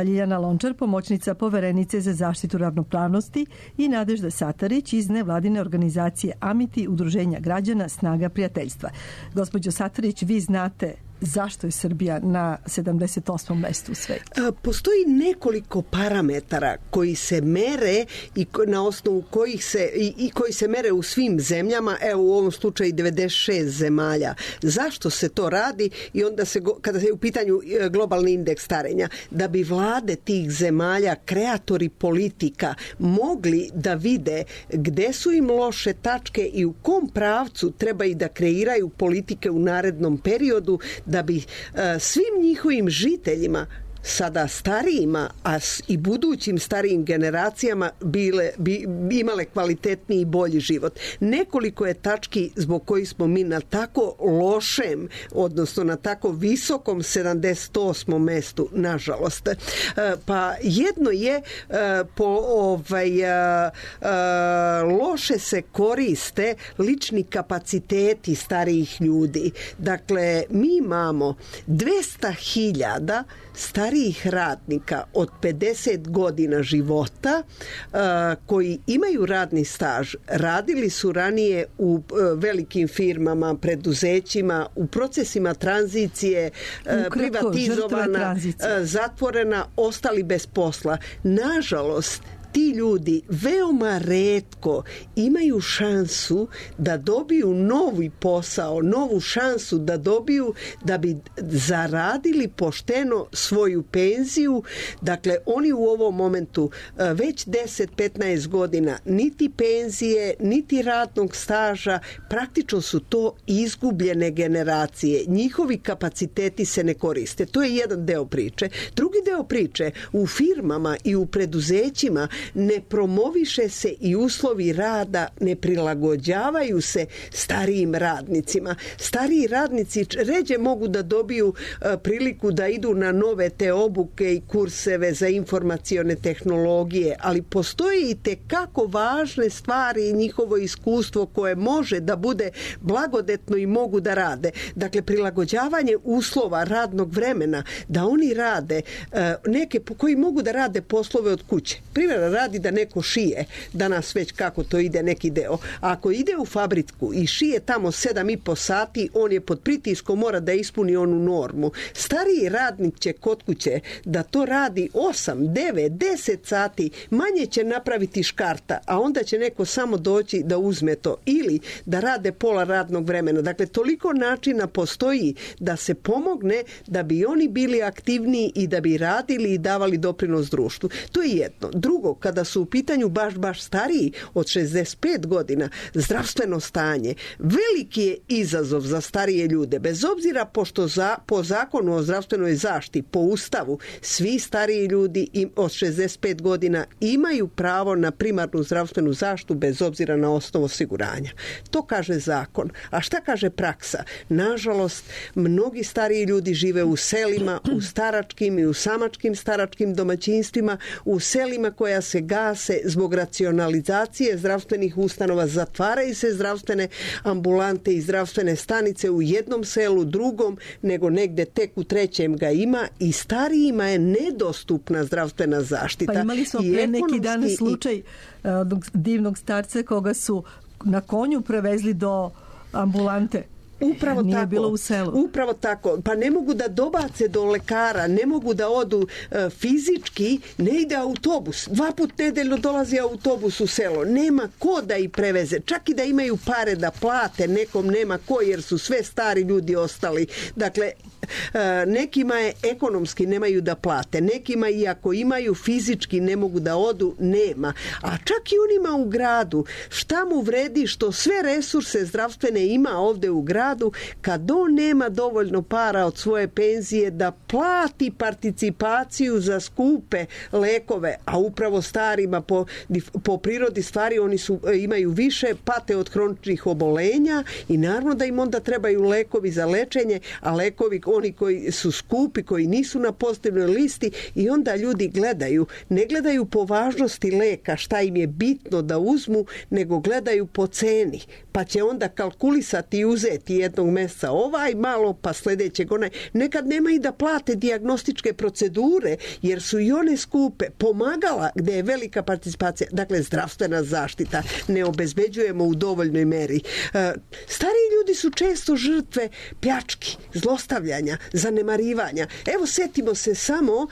Ljiljana Lončar, pomoćnica poverenice za zaštitu ravnopravnosti, i Nadežda Satarić iz nevladine organizacije Amiti, udruženja građana Snaga prijateljstva. Gospođo Satarić, vi znate zašto je Srbija na sedamdeset osmom mestu u svetu? Postoji nekoliko parametara koji se mere i na osnovu kojih se i, i koji se mere u svim zemljama, evo u ovom slučaju devedeset šest zemalja. Zašto se to radi? I onda se, kada je u pitanju globalni indeks starenja, da bi vlade tih zemalja, kreatori politika, mogli da vide gde su im loše tačke i u kom pravcu treba i da kreiraju politike u narednom periodu, da bi uh, svim njihovim žiteljima, sada starijima, a i budućim starijim generacijama bile, bi, imale kvalitetniji i bolji život. Nekoliko je tački zbog kojih smo mi na tako lošem, odnosno na tako visokom sedamdeset osmom mestu, nažalost. Pa jedno je po ovaj loše se koriste lični kapaciteti starijih ljudi. Dakle, mi imamo dvesta hiljada starijih radnika od pedeset godina života uh, koji imaju radni staž, radili su ranije u uh, velikim firmama, preduzećima, u procesima tranzicije, uh, privatizovana, uh, zatvorena, ostali bez posla. Nažalost, ti ljudi veoma retko imaju šansu da dobiju novi posao, novu šansu da dobiju da bi zaradili pošteno svoju penziju. Dakle, oni u ovom momentu već deset do petnaest godina niti penzije, niti radnog staža, praktično su to izgubljene generacije. Njihovi kapaciteti se ne koriste. To je jedan deo priče. Drugi deo priče, u firmama i u preduzećima ne promoviše se i uslovi rada, ne prilagođavaju se starijim radnicima. Stariji radnici ređe mogu da dobiju priliku da idu na nove te obuke i kurseve za informacione tehnologije, ali postoje i tekako važne stvari i njihovo iskustvo koje može da bude blagodetno i mogu da rade. Dakle, prilagođavanje uslova radnog vremena, da oni rade neke koji mogu da rade poslove od kuće. Primjer metara radi da neko šije. Danas već kako to ide neki deo. A ako ide u fabriku i šije tamo sedam i po sati, on je pod pritiskom, mora da ispuni onu normu. Stariji radnik će kod kuće da to radi osam, devet, deset sati, manje će napraviti škarta, a onda će neko samo doći da uzme to ili da rade pola radnog vremena. Dakle, toliko načina postoji da se pomogne da bi oni bili aktivniji i da bi radili i davali doprinos društvu. To je jedno. Drugo, kada su u pitanju baš, baš stariji od šezdeset pet godina, zdravstveno stanje, veliki je izazov za starije ljude, bez obzira pošto za, po zakonu o zdravstvenoj zaštiti, po ustavu, svi stariji ljudi im, od šezdeset pet godina imaju pravo na primarnu zdravstvenu zaštitu bez obzira na osnovu osiguranja. To kaže zakon. A šta kaže praksa? Nažalost, mnogi stariji ljudi žive u selima, u staračkim i u samačkim staračkim domaćinstvima, u selima koja se gase zbog racionalizacije zdravstvenih ustanova, zatvaraju se zdravstvene ambulante i zdravstvene stanice u jednom selu, drugom, nego negde tek u trećem ga ima i starijima je nedostupna zdravstvena zaštita. Pa imali smo pre neki dan slučaj i... divnog starca koga su na konju prevezli do ambulante. Upravo Nije tako. Bilo u selu. Upravo tako. Pa ne mogu da dobace do lekara, ne mogu da odu e, fizički, ne ide autobus. Dva put nedeljno dolazi autobus u selo. Nema ko da ih preveze. Čak i da imaju pare da plate, nekom nema ko jer su sve stari ljudi ostali. Dakle, e, nekima je ekonomski nemaju da plate. Nekima i ako imaju fizički ne mogu da odu, nema. A čak i onima u gradu. Šta mu vredi što sve resurse zdravstvene ima ovde u gradu kad on nema dovoljno para od svoje penzije da plati participaciju za skupe lekove, a upravo starima po, po prirodi stvari oni su, imaju više, pate od hroničnih obolenja i naravno da im onda trebaju lekovi za lečenje, a lekovi oni koji su skupi, koji nisu na pozitivnoj listi i onda ljudi gledaju, ne gledaju po važnosti leka šta im je bitno da uzmu, nego gledaju po ceni, pa će onda kalkulisati i uzeti jednog mjeseca ovaj malo, pa sljedećeg onaj. Nekad nema i da plate dijagnostičke procedure, jer su i one skupe. Pomagala gdje je velika participacija. Dakle, zdravstvena zaštita ne obezbeđujemo u dovoljnoj meri. Stariji ljudi su često žrtve pljački, zlostavljanja, zanemarivanja. Evo, setimo se samo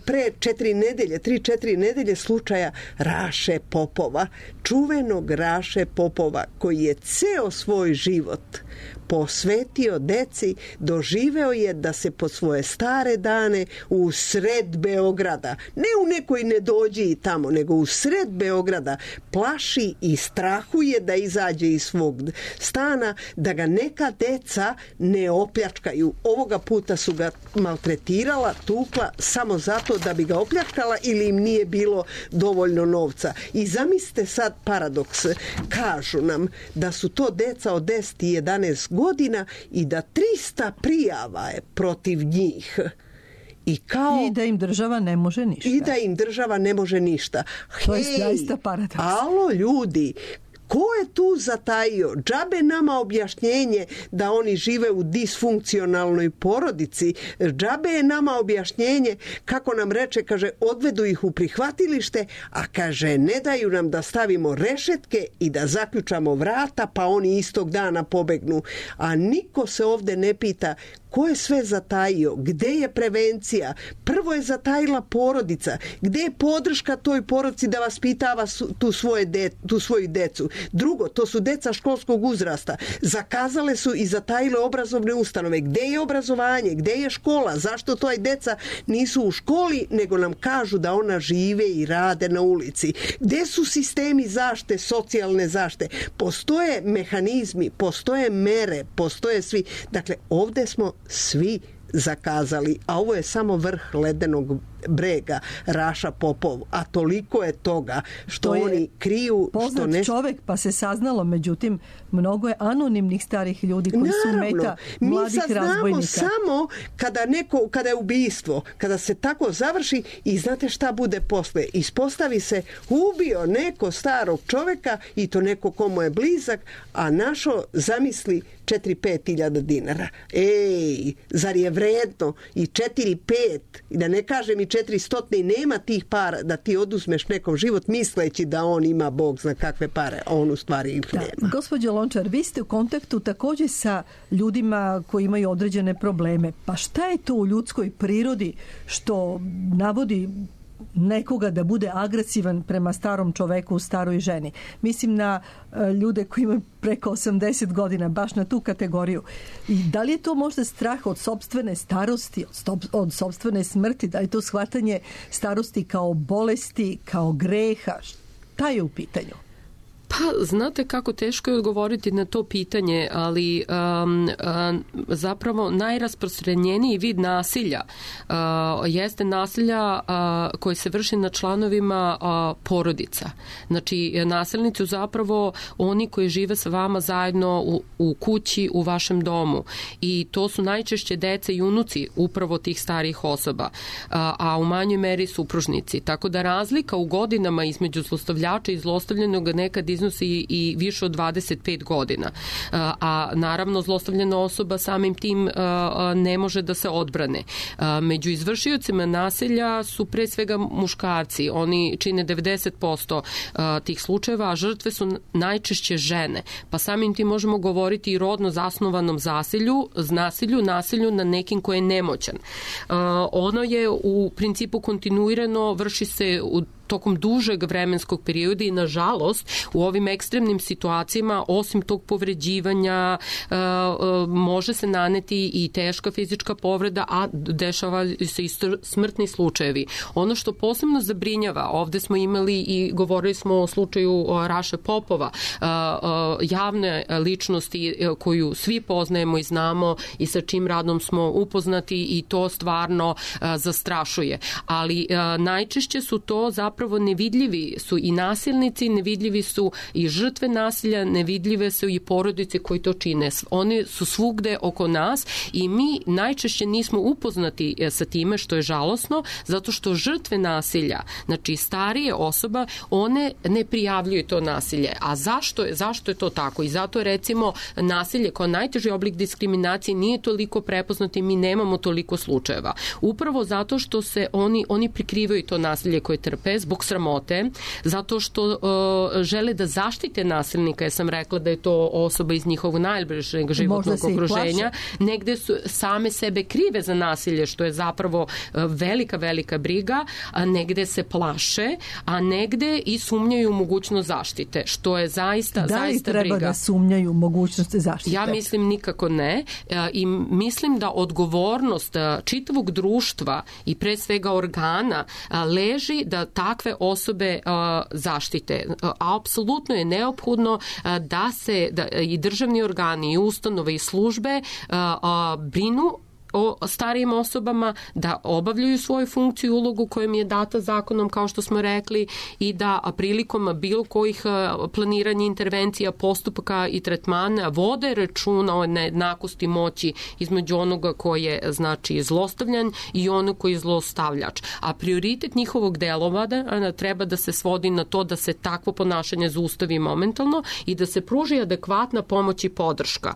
pre četiri nedelje, tri, četiri nedelje slučaja Raše Popova, čuvenog Raše Popova, koji je ceo svoj život posvetio deci, doživeo je da se po svoje stare dane u sred Beograda, ne u nekoj nedođi tamo, nego u sred Beograda plaši i strahuje da izađe iz svog stana, da ga neka deca ne opljačkaju. Ovoga puta su ga maltretirala, tukla, samo zato da bi ga opljačkala ili im nije bilo dovoljno novca. I zamislite sad paradoks. Kažu nam da su to deca od deset i jedanaest godina i da trista prijava je protiv njih. I, kao, I da im država ne može ništa. I da im država ne može ništa. To je zaista paradoks. Alo ljudi, ko je tu zatajio? Džabe nama objašnjenje da oni žive u disfunkcionalnoj porodici. Džabe je nama objašnjenje kako nam reče, kaže, odvedu ih u prihvatilište, a kaže, ne daju nam da stavimo rešetke i da zaključamo vrata, pa oni istog dana pobegnu. A niko se ovde ne pita ko je sve zatajio, gde je prevencija. Prvo je zatajila porodica. Gde je podrška toj porodici da vaspitava tu, svoje de, tu svoju decu? Drugo, to su deca školskog uzrasta. Zakazale su i zatajile obrazovne ustanove. Gde je obrazovanje? Gde je škola? Zašto toj deca nisu u školi, nego nam kažu da ona žive i rade na ulici? Gde su sistemi zaštite, socijalne zaštite? Postoje mehanizmi, postoje mere, postoje svi. Dakle, ovde smo svi zakazali, a ovo je samo vrh ledenog brega, Raša Popov, a toliko je toga što to oni kriju. Poznat što ne... čovek, pa se saznalo, međutim, mnogo je anonimnih starih ljudi koji Naravno, su meta mladih razbojnika. Mi saznamo samo kada, neko, kada je ubistvo, kada se tako završi i znate šta bude posle. Ispostavi se ubio neko starog čoveka i to neko komu je blizak, a našo zamisli četiri pet hiljada dinara. Ej, zar je vredno i četiri pet, i da ne kažem i četiristo i nema tih para da ti oduzmeš nekom život misleći da on ima Bog zna kakve pare, a on u stvari ih nema. Da. Gospođo Lončar, vi ste u kontaktu također sa ljudima koji imaju određene probleme. Pa šta je to u ljudskoj prirodi što navodi nekoga da bude agresivan prema starom čoveku, staroj ženi? Mislim na e, ljude koji imaju preko osamdeset godina, baš na tu kategoriju. I da li je to možda strah od sopstvene starosti, od, stop, od sopstvene smrti? Da li je to shvatanje starosti kao bolesti, kao greha? Šta je u pitanju? Pa, znate kako teško je odgovoriti na to pitanje, ali um, um, zapravo najrasprostranjeniji vid nasilja uh, jeste nasilja uh, koje se vrši na članovima uh, porodica. Znači, nasilnici zapravo oni koji žive sa vama zajedno u, u kući, u vašem domu. I to su najčešće dece i unuci upravo tih starijih osoba, uh, a u manjoj meri supružnici. Tako da razlika u godinama između zlostavljača i zlostavljenog nekad iznosi i više od dvadeset pet godina. A naravno zlostavljena osoba samim tim ne može da se odbrane. Među izvršiocima nasilja su pre svega muškarci. Oni čine devedeset posto tih slučajeva, a žrtve su najčešće žene. Pa samim tim možemo govoriti i rodno zasnovanom zasilju, nasilju, nasilju na nekim ko je nemoćan. Ono je u principu kontinuirano, vrši se u tokom dužeg vremenskog perioda i nažalost u ovim ekstremnim situacijama osim tog povređivanja e, e, može se naneti i teška fizička povreda, a dešava se i smrtni slučajevi. Ono što posebno zabrinjava, ovde smo imali i govorili smo o slučaju Raše Popova, e, e, javne ličnosti koju svi poznajemo i znamo i sa čim radom smo upoznati i to stvarno e, zastrašuje. Ali e, najčešće su to zapravo Zapravo nevidljivi su i nasilnici, nevidljivi su i žrtve nasilja, nevidljive su i porodice koji to čine. Oni su svugde oko nas i mi najčešće nismo upoznati sa time, što je žalosno, zato što žrtve nasilja, znači starije osoba, one ne prijavljuju to nasilje. A zašto je, zašto je to tako? I zato recimo nasilje kao najteži oblik diskriminacije nije toliko prepoznato i mi nemamo toliko slučajeva. Upravo zato što se oni, oni prikrivaju to nasilje koje trpe zbog sramote, zato što uh, žele da zaštite nasilnika. Ja sam rekla da je to osoba iz njihovog najbližeg životnog okruženja. Negde su same sebe krive za nasilje, što je zapravo uh, velika, velika briga, a negde se plaše, a negde i sumnjaju u mogućnost zaštite, što je zaista, da zaista briga. Da li treba da sumnjaju mogućnost zaštite? Ja mislim nikako ne. Uh, I mislim da odgovornost uh, čitavog društva i pre svega organa uh, leži da takve osobe uh, zaštite. Uh, apsolutno je neophodno uh, da se da, i državni organi i ustanove i službe uh, uh, brinu o starijim osobama, da obavljaju svoju funkciju i ulogu koja im je data zakonom, kao što smo rekli, i da prilikom bilo kojih planiranja intervencija, postupaka i tretmana vode računa o nejednakosti moći između onoga koji je, znači, zlostavljan i onog koji je zlostavljač. A prioritet njihovog delovanja treba da se svodi na to da se takvo ponašanje zaustavi momentalno i da se pruži adekvatna pomoć i podrška.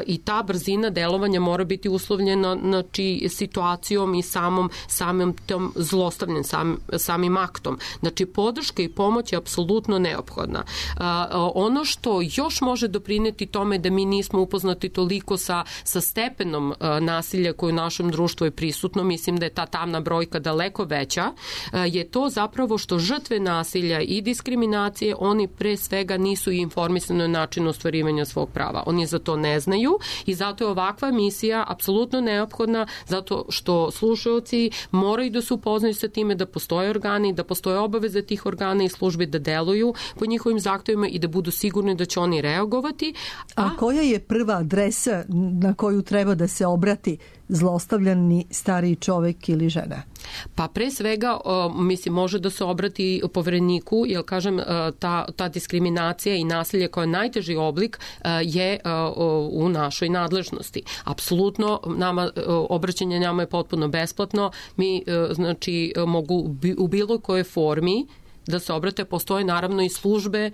I ta brzina delovanja mora biti uslovljena, znači, situacijom i samom, samim tom zlostavljanjem, sam, samim aktom. Znači, podrška i pomoć je apsolutno neophodna. A, ono što još može doprineti tome da mi nismo upoznati toliko sa, sa stepenom a, nasilja koje u našem društvu je prisutno, mislim da je ta tamna brojka daleko veća, a, je to zapravo što žrtve nasilja i diskriminacije, oni pre svega nisu informisani o načinu ostvarivanja svog prava. Oni za to ne znaju i zato je ovakva misija apsolutno neophodna, zato što slušaoci moraju da se upoznaju sa time da postoje organi, da postoje obaveze tih organa i službi da deluju po njihovim zahtevima i da budu sigurni da će oni reagovati. A, A koja je prva adresa na koju treba da se obrati zlostavljani stariji čovek ili žena? Pa pre svega, mislim, može da se obrati povereniku, jer kažem, ta, ta diskriminacija i nasilje kao najteži oblik je u našoj nadležnosti. Apsolutno, nama, obraćanje nama je potpuno besplatno. Mi, znači, mogu u bilo kojoj formi da se obrate. Postoje naravno i službe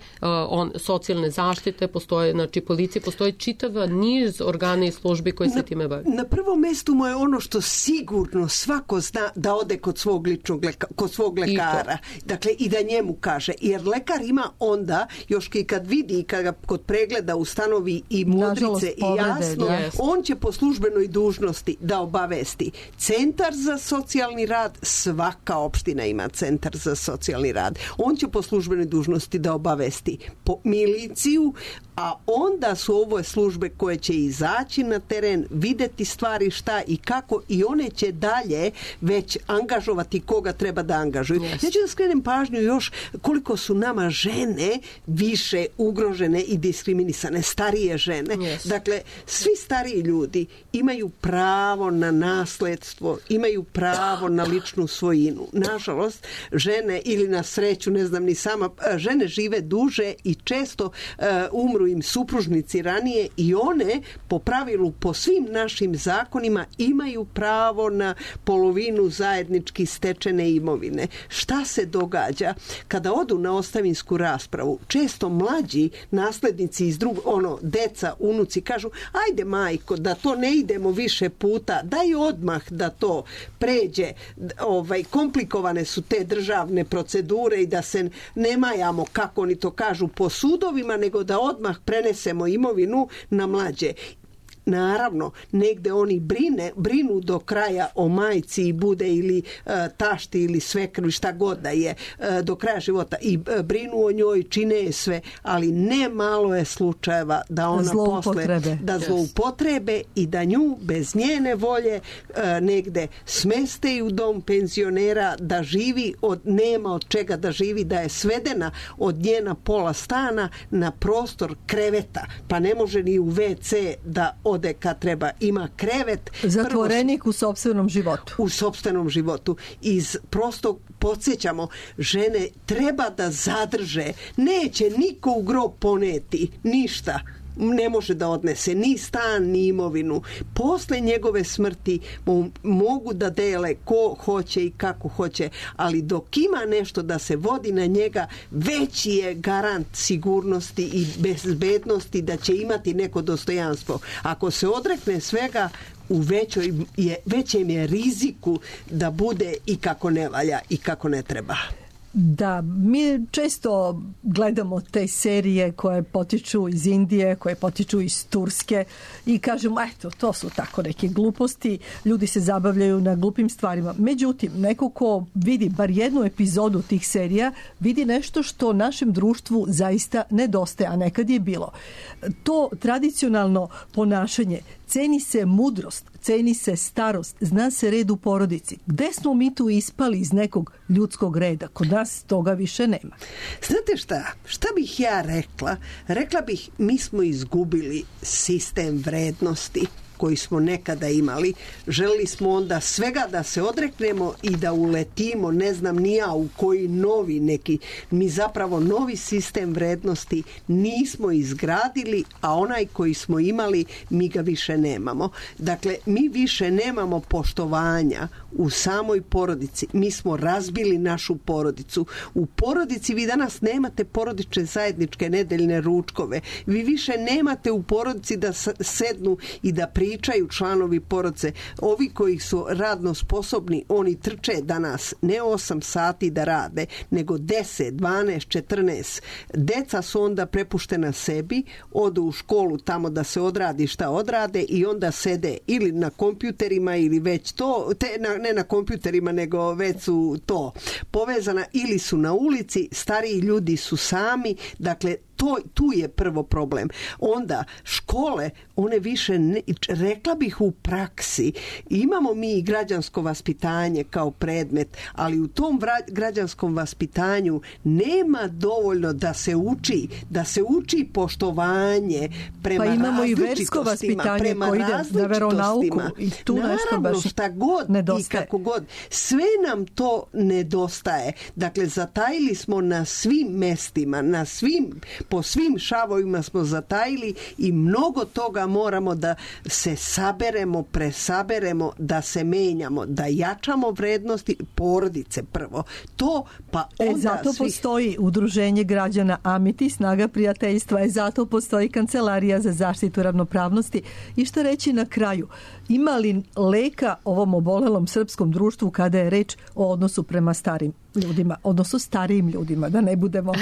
on, socijalne zaštite, postoje znači policije, postoje čitava niz organa i službi koji se na, time bave. Na prvom mestu mu je ono što sigurno svako zna da ode kod svog ličnog leka, kod svog lekara. I dakle, i da njemu kaže. Jer lekar ima onda, još i kad vidi i kad ga kod pregleda ustanovi i modrice i jasno, yes. on će po službenoj dužnosti da obavesti centar za socijalni rad, svaka opština ima centar za socijalni rad. On će po službenoj dužnosti da obavesti po miliciju, a onda su ovo službe koje će izaći na teren, videti stvari šta i kako i one će dalje već angažovati koga treba da angažuju. Yes. Ja ću da skrenem pažnju još koliko su nama žene više ugrožene i diskriminisane, starije žene. Yes. Dakle, svi stariji ljudi imaju pravo na nasledstvo, imaju pravo na ličnu svojinu. Nažalost, žene ili na sreću, ne znam ni sama, žene žive duže i često uh, umru im supružnici ranije i one po pravilu, po svim našim zakonima imaju pravo na polovinu zajednički stečene imovine. Šta se događa kada odu na ostavinsku raspravu? Često mlađi naslednici iz drugog, ono, deca, unuci kažu, ajde majko, da to ne idemo više puta, daj odmah da to pređe, ovaj, komplikovane su te državne procedure i da se ne majamo, kako oni to kažu, po sudovima, nego da odmah prenesemo imovinu na mlađe. Naravno, negde oni brine, brinu do kraja o majci i bude ili uh, tašti ili svekru, šta god da je uh, do kraja života i uh, brinu o njoj, čine je sve, ali ne malo je slučajeva da ona posle da zloupotrebe yes. i da nju bez njene volje uh, negde smeste u dom penzionera, da živi od, nema od čega da živi, da je svedena od njena pola stana na prostor kreveta, pa ne može ni u ve ce da ode kad treba, ima krevet. Zatvorenik prvo, u sopstvenom životu. U sopstvenom životu. Iz prostog podsjećamo, žene treba da zadrže. Neće niko u grob poneti. Ništa. Ne može da odnese ni stan, ni imovinu. Posle njegove smrti mogu da dele ko hoće i kako hoće, ali dok ima nešto da se vodi na njega, veći je garant sigurnosti i bezbednosti da će imati neko dostojanstvo. Ako se odrekne svega, u većoj je, većem je riziku da bude i kako ne valja i kako ne treba. Da, mi često gledamo te serije koje potiču iz Indije, koje potiču iz Turske i kažemo, eto, to su tako neke gluposti, ljudi se zabavljaju na glupim stvarima. Međutim, neko ko vidi bar jednu epizodu tih serija, vidi nešto što našem društvu zaista nedostaje, a nekad je bilo. To tradicionalno ponašanje, ceni se mudrost, ceni se starost, zna se red u porodici. Gde smo mi tu ispali iz nekog ljudskog reda? Kod nas toga više nema. Znate šta? Šta bih ja rekla? Rekla bih, mi smo izgubili sistem vrednosti koji smo nekada imali. Želeli smo onda svega da se odreknemo i da uletimo, ne znam ni ja u koji novi neki, mi zapravo novi sistem vrednosti nismo izgradili, a onaj koji smo imali mi ga više nemamo. Dakle, mi više nemamo poštovanja u samoj porodici. Mi smo razbili našu porodicu. U porodici vi danas nemate porodične zajedničke nedeljne ručkove. Vi više nemate u porodici da sednu i da pričaju članovi porodice. Ovi koji su radno sposobni, oni trče danas ne osam sati da rade, nego deset, dvanaest, četrnaest. Deca su onda prepuštena sebi, odu u školu tamo da se odradi šta odrade i onda sede ili na kompjuterima ili već to, te, na, ne na kompjuterima, nego već su to povezana ili su na ulici, stariji ljudi su sami, dakle to, tu je prvo problem. Onda škole, one više ne, rekla bih u praksi, imamo mi i građansko vaspitanje kao predmet, ali u tom vra, građanskom vaspitanju nema dovoljno da se uči, da se uči poštovanje prema pa imamo i versko vaspitanje koje ide na veronauku i tu naravno, nešto baš šta god nedostaje. I kako god. Sve nam to nedostaje. Dakle, zatajili smo na svim mestima, na svim po svim šavovima smo zatajili i mnogo toga moramo da se saberemo, presaberemo, da se menjamo, da jačamo vrednosti porodice prvo. To pa onda e, zato svih... postoji udruženje građana Amiti, Snaga prijateljstva, e, zato postoji Kancelarija za zaštitu ravnopravnosti. I što reći na kraju, ima li leka ovom obolelom srpskom društvu kada je reč o odnosu prema starim ljudima, odnosno starijim ljudima, da ne budemo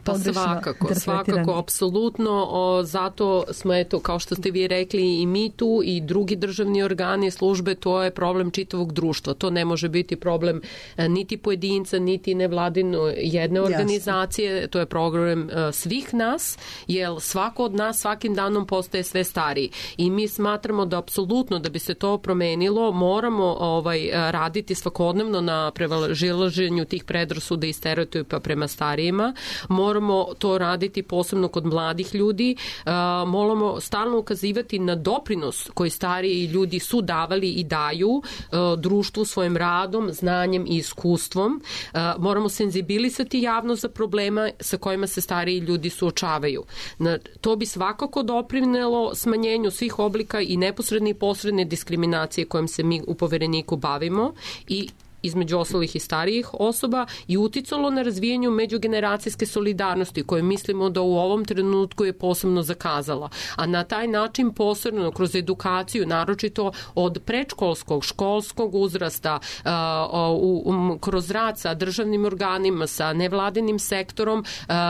pa svakako, svakako, apsolutno, o, zato smo, eto, kao što ste vi rekli, i mi tu i drugi državni organi, službe, to je problem čitavog društva. To ne može biti problem niti pojedinca, niti nevladine jedne organizacije. Jasne. To je problem svih nas, jer svako od nas svakim danom postaje sve stariji. I mi smatramo da apsolutno da bi se to promenilo, moramo ovaj, raditi svakodnevno na prevazilaženju tih predrasuda i stereotipa prema starijima. Moramo to raditi posebno kod mladih ljudi, moramo stalno ukazivati na doprinos koji stariji ljudi su davali i daju društvu svojim radom, znanjem i iskustvom. Moramo senzibilisati javnost za problema sa kojima se stariji ljudi suočavaju. To bi svakako doprinelo smanjenju svih oblika i neposredne i posredne diskriminacije kojim se mi u Povereniku bavimo i između ostalih i starijih osoba i uticalo na razvijanju međugeneracijske solidarnosti koje mislimo da u ovom trenutku je posebno zakazala. A na taj način posebno kroz edukaciju, naročito od predškolskog, školskog uzrasta, kroz rad sa državnim organima, sa nevladinim sektorom,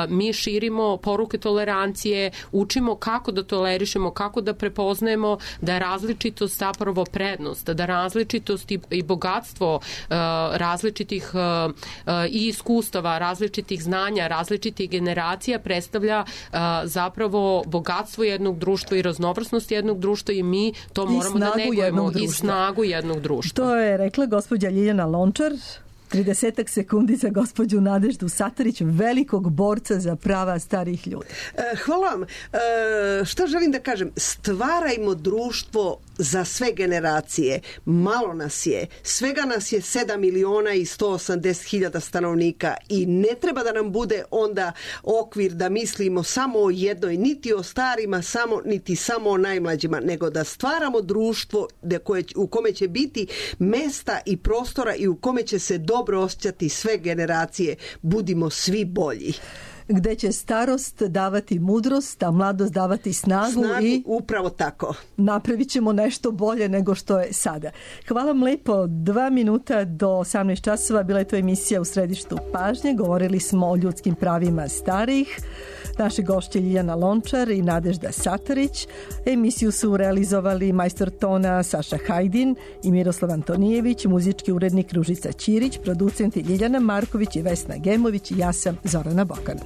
mi širimo poruke tolerancije, učimo kako da tolerišemo, kako da prepoznajemo da je različitost zapravo prednost, da različitost i bogatstvo različitih i iskustava, različitih znanja, različitih generacija predstavlja zapravo bogatstvo jednog društva i raznovrsnost jednog društva i mi to moramo da negujemo i snagu jednog društva. To je rekla gospođa Ljiljana Lončar. tridesetak sekundi za gospođu Nadeždu Satarić, velikog borca za prava starih ljudi. Hvala vam. Šta želim da kažem? Stvarajmo društvo za sve generacije. Malo nas je. Svega nas je sedam miliona i sto osamdeset hiljada stanovnika i ne treba da nam bude onda okvir da mislimo samo o jednoj, niti o starima, samo, niti samo o najmlađima, nego da stvaramo društvo u kome će biti mesta i prostora i u kome će se dobro osjećati sve generacije. Budimo svi bolji. Gde će starost davati mudrost, a mladost davati snagu, snagu i upravo tako. Napravit ćemo nešto bolje nego što je sada. Hvala vam lepo. Dva minuta do osamnaest časova bila je to emisija U središtu pažnje. Govorili smo o ljudskim pravima starijih. Naše gošće Ljiljana Lončar i Nadežda Satarić. Emisiju su realizovali majstor tona Saša Hajdin i Miroslav Antonijević, muzički urednik Ružica Ćirić, producenti Ljiljana Marković i Vesna Gemović i ja sam Zorana Bokan.